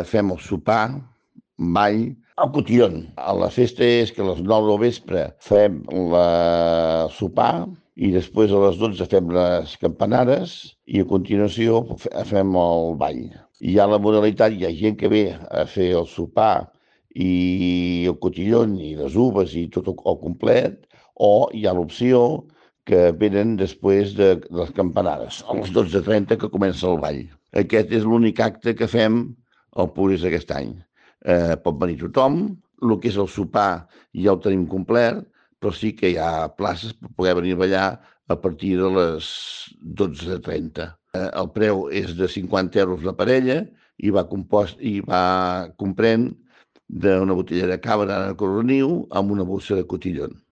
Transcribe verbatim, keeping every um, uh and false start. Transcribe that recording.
Fem el sopar, ball, el cotillón. La festa és que a les nou del vespre fem el sopar i després a les dotze fem les campanades i a continuació fem el ball. Hi ha la modalitat, hi ha gent que ve a fer el sopar i el cotillón i les uvas i tot el complet, o hi ha l'opció que venen després de les campanades, a les dotze trenta que comença el ball. Aquest és l'únic acte que fem al Puris aquest any. Eh, pot venir tothom, el que és el sopar ja el tenim complet, però sí que hi ha places per poder venir a ballar a partir de les dotze trenta. Eh, el preu és de cinquanta euros la parella i va compost i va comprèn d'una botella de cava de coroniu amb una bossa de cotillón.